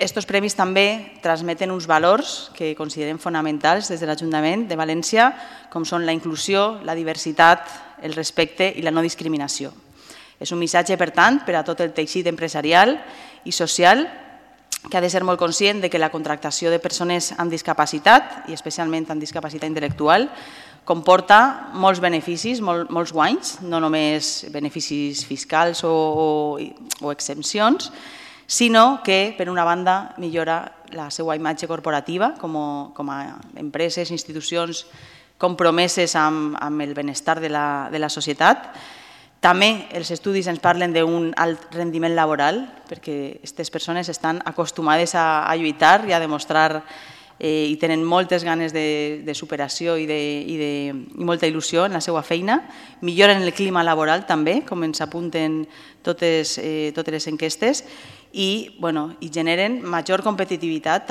Estos premis també transmeten uns valors que considerem fonamentals des de l'Ajuntament de València, com són la inclusió, la diversitat, el respecte i la no discriminació. És un missatge, per tant, per a tot el teixit empresarial i social que ha de ser molt conscient que la contractació de persones amb discapacitat, i especialment amb discapacitat intel·lectual, comporta molts beneficis, molts guanys, no només beneficis fiscals o exempcions, sinó que, per una banda, millora la seva imatge corporativa com a empreses, institucions compromeses amb el benestar de la societat. També els estudis ens parlen d'un alt rendiment laboral, perquè aquestes persones estan acostumades a lluitar i a demostrar i tenen moltes ganes de superació i molta il·lusió en la seva feina. Milloren el clima laboral també, com ens apunten totes les enquestes, i generen major competitivitat